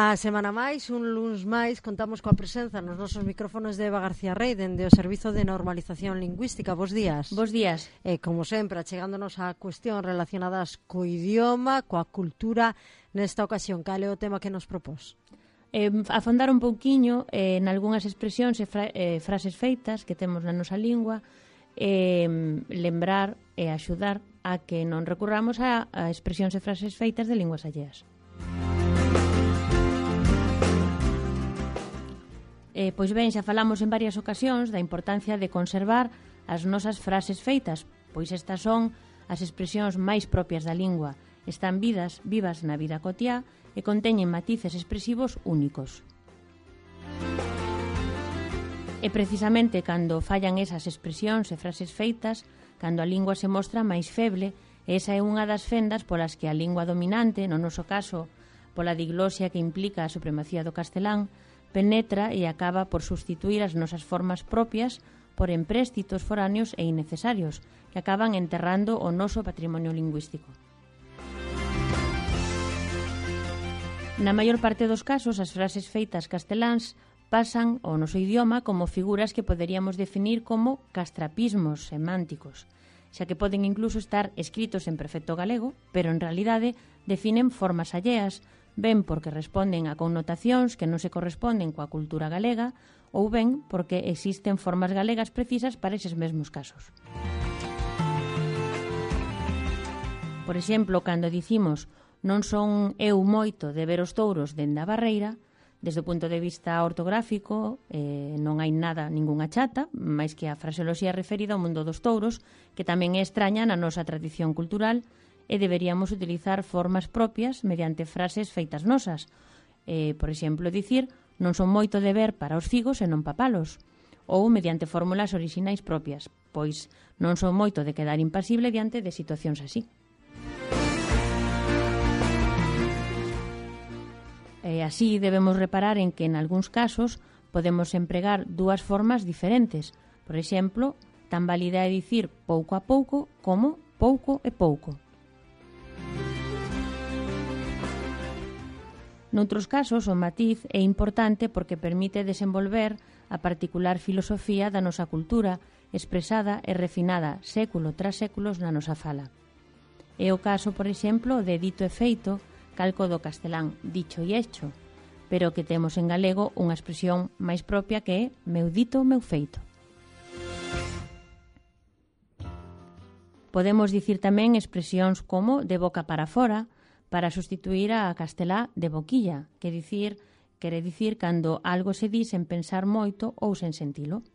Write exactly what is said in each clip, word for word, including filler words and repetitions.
Unha semana máis, un luns máis, contamos coa presenza nos nosos micrófonos de Eva García Rey dende o Servizo de Normalización Lingüística. Bos días. Bos días. E, como sempre, achegándonos a cuestión relacionadas co idioma, coa cultura, nesta ocasión, cal é o tema que nos propós? Eh, afondar un pouquiño eh, en algunhas expresións e fra eh, frases feitas que temos na nosa lingua, eh, lembrar e axudar a que non recurramos a, a expresións e frases feitas de linguas alleas. Eh, pois ben, xa falamos en varias ocasións da importancia de conservar as nosas frases feitas, pois estas son as expresións máis propias da lingua, están vidas, vivas na vida cotiá e conteñen matices expresivos únicos. E precisamente cando fallan esas expresións e frases feitas, cando a lingua se mostra máis feble, esa é unha das fendas polas que a lingua dominante, no noso caso, pola diglosia que implica a supremacía do castelán, penetra e acaba por sustituir as nosas formas propias por empréstitos foráneos e innecesarios que acaban enterrando o noso patrimonio lingüístico. Na maior parte dos casos, as frases feitas casteláns pasan ao noso idioma como figuras que poderíamos definir como castrapismos semánticos, xa que poden incluso estar escritos en perfecto galego, pero en realidade definen formas alleas, ben porque responden a connotacións que non se corresponden coa cultura galega ou ben porque existen formas galegas precisas para eses mesmos casos. Por exemplo, cando dicimos non son eu moito de ver os touros dende a barreira, desde o punto de vista ortográfico eh, non hai nada, ningunha chata, máis que a fraseoloxía referida ao mundo dos touros, que tamén é extraña na nosa tradición cultural, e deberíamos utilizar formas propias mediante frases feitas nosas. Eh, por exemplo, dicir non son moito de ver para os figos e non papalos, ou mediante fórmulas orixinais propias, pois non son moito de quedar impasible diante de situacións así. E así debemos reparar en que en algúns casos podemos empregar dúas formas diferentes. Por exemplo, tan válida é dicir pouco a pouco como pouco e pouco. Noutros casos, o matiz é importante porque permite desenvolver a particular filosofía da nosa cultura, expresada e refinada século tras séculos na nosa fala. É o caso, por exemplo, de dito e feito, calco do castelán dicho e hecho, pero que temos en galego unha expresión máis propia que é meu dito, meu feito. Podemos dicir tamén expresións como de boca para fora, para sustituir a castelá de boquilla, que dicir, quere dicir cando algo se di sen pensar moito ou sen sentilo.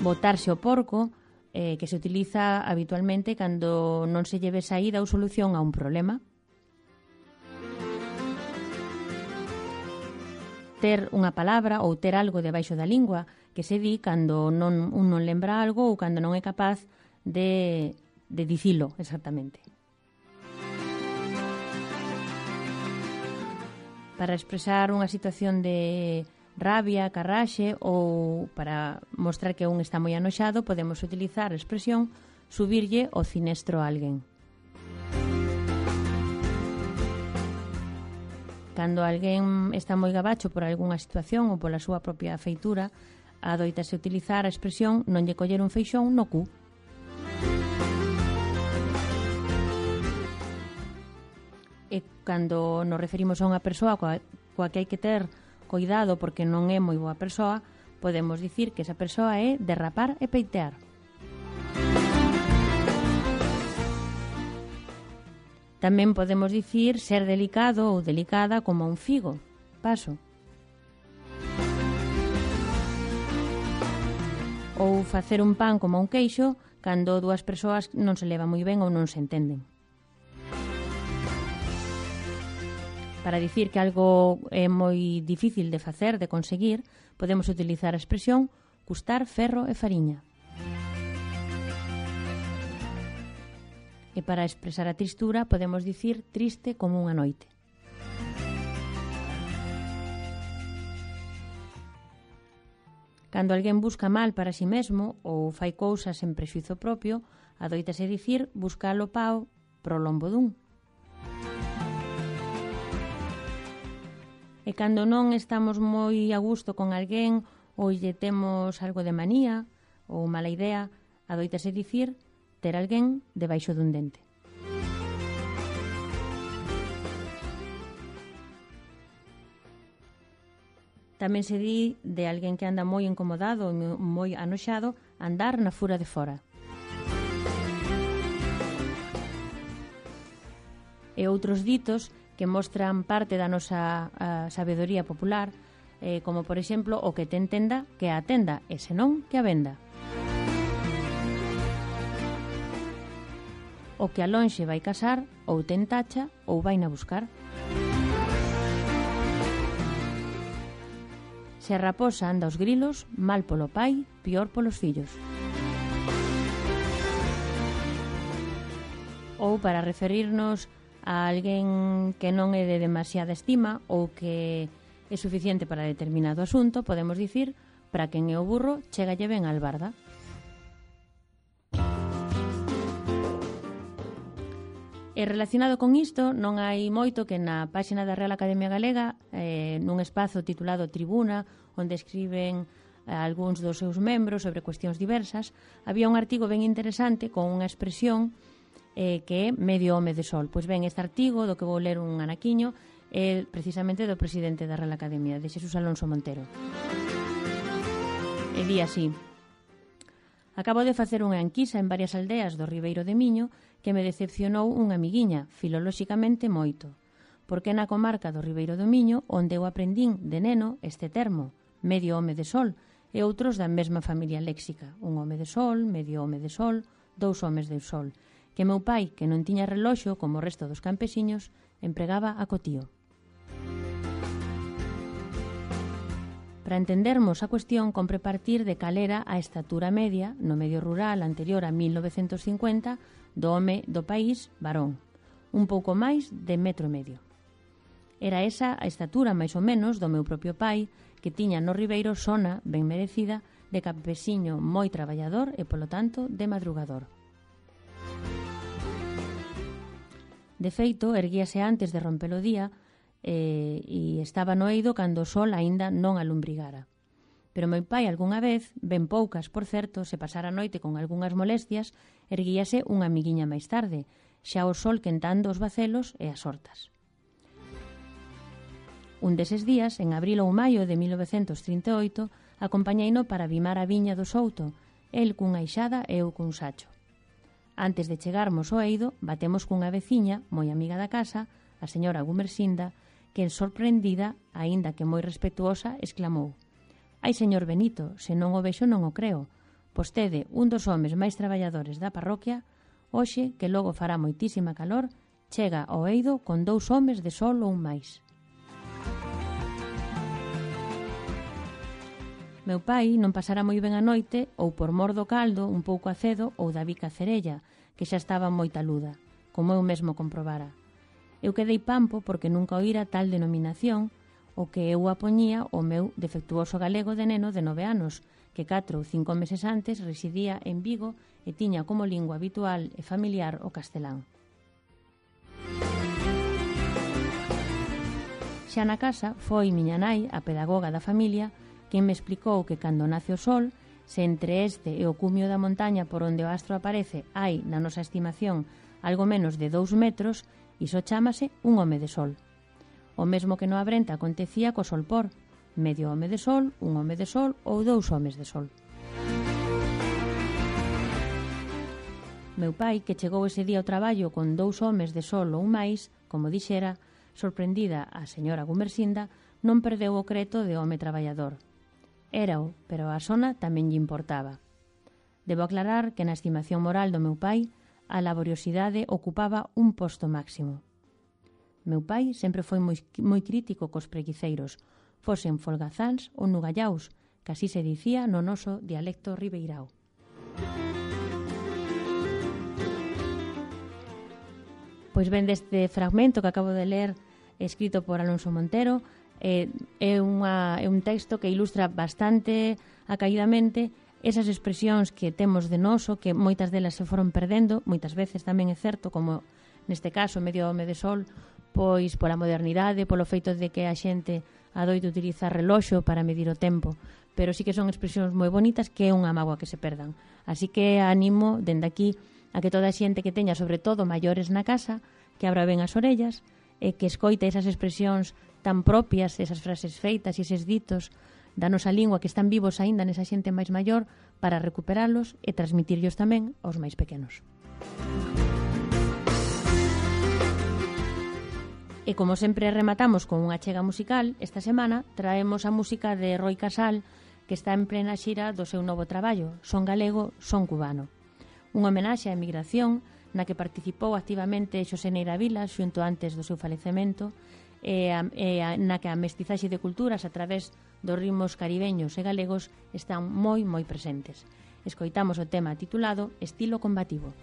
Botarse o porco, eh, que se utiliza habitualmente cando non se lleve saída ou solución a un problema. Ter unha palabra ou ter algo debaixo da lingua, que se di cando non, un non lembra algo ou cando non é capaz de, de dicilo exactamente. Para expresar unha situación de rabia, carraxe ou para mostrar que un está moi anoxado, podemos utilizar a expresión subirlle o cinestro a alguén. Cando alguén está moi gabacho por algunha situación ou pola súa propia feitura, adoitase utilizar a expresión non lle coller un feixón no cu. E cando nos referimos a unha persoa coa, coa que hai que ter cuidado porque non é moi boa persoa, podemos dicir que esa persoa é derrapar e peitear. Tamén podemos dicir ser delicado ou delicada como un figo, paso. Ou facer un pan como un queixo cando dúas persoas non se leva moi ben ou non se entenden. Para dicir que algo é moi difícil de facer, de conseguir, podemos utilizar a expresión custar ferro e fariña. E para expresar a tristura podemos dicir triste como unha noite. Cando alguén busca mal para si mesmo ou fai cousas en prexuízo propio, adoítase dicir buscar o pao pro lombo dun. E cando non estamos moi a gusto con alguén ou lle temos algo de manía ou mala idea, adoitase dicir ter alguén debaixo dun dente. Tamén se di de alguén que anda moi incomodado ou moi anoxado andar na fura de fora. E outros ditos que mostran parte da nosa a, sabedoría popular, eh, como por exemplo o que te entenda que a atenda e senón que a venda. O que a lonxe vai casar ou ten tacha ou vai na buscar. Se a raposa anda aos grilos, mal polo pai, pior polos fillos. Ou para referirnos a alguén que non é de demasiada estima ou que é suficiente para determinado asunto, podemos dicir, para quen é o burro, chégalle ben a albarda. E relacionado con isto, non hai moito que na páxina da Real Academia Galega, eh, nun espazo titulado Tribuna, onde escriben eh, algúns dos seus membros sobre cuestións diversas, había un artigo ben interesante con unha expresión eh, que é medio home de sol. Pois ben, este artigo, do que vou ler un anaquiño, é precisamente do presidente da Real Academia, de Xesús Alonso Montero. E di así: acabo de facer unha enquisa en varias aldeas do Ribeiro de Miño que me decepcionou unha amiguiña, filolóxicamente moito, porque na comarca do Ribeiro do Miño, onde eu aprendín de neno este termo, medio home de sol, e outros da mesma familia léxica, un home de sol, medio home de sol, dous homes de sol, que meu pai, que non tiña reloxo como o resto dos campesiños, empregaba a cotío. Para entendermos a cuestión, compre partir de cal era a estatura media no medio rural anterior a mil novecentos cincuenta do home do país varón, un pouco máis de metro e medio. Era esa a estatura máis ou menos do meu propio pai, que tiña no Ribeiro sona ben merecida de campesiño moi traballador e, polo tanto, de madrugador. De feito, erguíase antes de romper o día eh, e estaba no eido cando o sol aínda non alumbrigara. Pero meu pai algunha vez, ben poucas, por certo, se pasara a noite con algunhas molestias, erguíase unha amiguiña máis tarde, xa o sol quentando os bacelos e as hortas. Un deses días, en abril ou maio de mil novecentos trinta e oito, acompañeino para vimar a viña do Souto, el cunha ixada e eu cun sacho. Antes de chegarmos ao eido, batemos cunha veciña, moi amiga da casa, a señora Gumersinda, que, sorprendida, aínda que moi respetuosa, exclamou: «Ai, señor Benito, se non o vexo non o creo. Vostede, un dos homes máis traballadores da parroquia, hoxe, que logo fará moitísima calor, chega ao eido con dous homes de sol ou máis». Meu pai non pasara moi ben a noite ou por mor do caldo un pouco acedo ou da bica cerella, que xa estaba moi taluda, como eu mesmo comprobara. Eu quedei pampo porque nunca oíra tal denominación, o que eu apoñía o meu defectuoso galego de neno de nove anos, que catro ou cinco meses antes residía en Vigo e tiña como lingua habitual e familiar o castelán. Xa na casa foi miña nai, a pedagoga da familia, quen me explicou que cando nace o sol, se entre este e o cumio da montaña por onde o astro aparece hai, na nosa estimación, algo menos de dous metros, iso chámase un home de sol. O mesmo que no Abrenta acontecía co solpor, medio home de sol, un home de sol ou dous homes de sol. Meu pai, que chegou ese día ao traballo con dous homes de sol ou máis, como dixera, sorprendida a señora Gumersinda, non perdeu o creto de home traballador. Érao, pero a sona tamén lle importaba. Debo aclarar que na estimación moral do meu pai, a laboriosidade ocupaba un posto máximo. Meu pai sempre foi moi, moi crítico cos preguiceiros, fosen folgazáns ou nugallaus, que así se dicía no noso dialecto ribeirao. Pois ben, deste fragmento que acabo de ler, escrito por Alonso Montero, eh, é, unha, é un texto que ilustra bastante acaidamente esas expresións que temos de noso, que moitas delas se foron perdendo, moitas veces tamén é certo, como neste caso, medio home de sol, pois pola modernidade, polo feito de que a xente adoito utilizar reloxo para medir o tempo, pero sí que son expresións moi bonitas que é unha mágoa que se perdan. Así que animo, dende aquí, a que toda a xente que teña, sobre todo maiores na casa, que abra ben as orellas e que escoite esas expresións tan propias, esas frases feitas e eses ditos da nosa lingua que están vivos aínda nesa xente máis maior para recuperalos e transmitirlos tamén aos máis pequenos. E como sempre rematamos con unha chega musical, esta semana traemos a música de Roi Casal, que está en plena xira do seu novo traballo, Son galego, son cubano. Unha homenaxe á emigración na que participou activamente Xosé Neira Vilas xunto antes do seu falecemento e, a, e a, na que a mestizaxe de culturas a través dos ritmos caribeños e galegos están moi, moi presentes. Escoitamos o tema titulado Estilo combativo.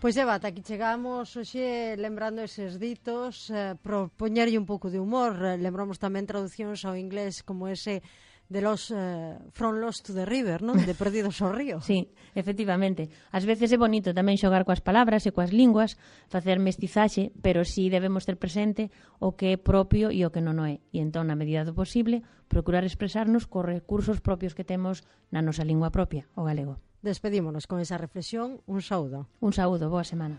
Pois Eva, ata aquí chegamos hoxe lembrando eses ditos, eh, propoñerlle un pouco de humor, eh, lembramos tamén traduccións ao inglés como ese de los eh, From Lost to the River, non? De Perdidos ao Río. Sí, efectivamente. Ás veces é bonito tamén xogar coas palabras e coas linguas, facer mestizaxe, pero si debemos ter presente o que é propio e o que non o é. E entón, na medida do posible, procurar expresarnos cos recursos propios que temos na nosa lingua propia, o galego. Despedímonos con esa reflexión. Un saúdo. Un saúdo, boa semana.